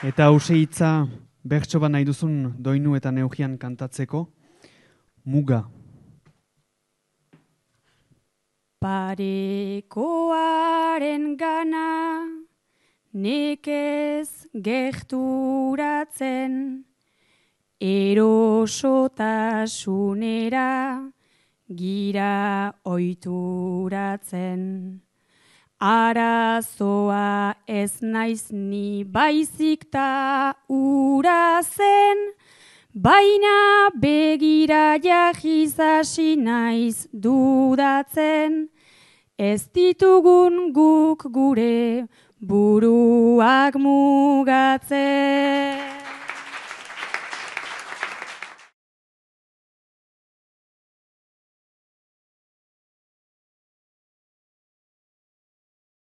Eta hause hitza bertso bat nahi duzun doinu eta neugian kantatzeko, muga. Parekoaren gana nekez gerturatzen, erosotasunera gira oituratzen. Arazoa ez naiz ni baizik ta ura zen, baina begira jahiz hasi naiz dudatzen, ez ditugun guk gure buruak mugatzen.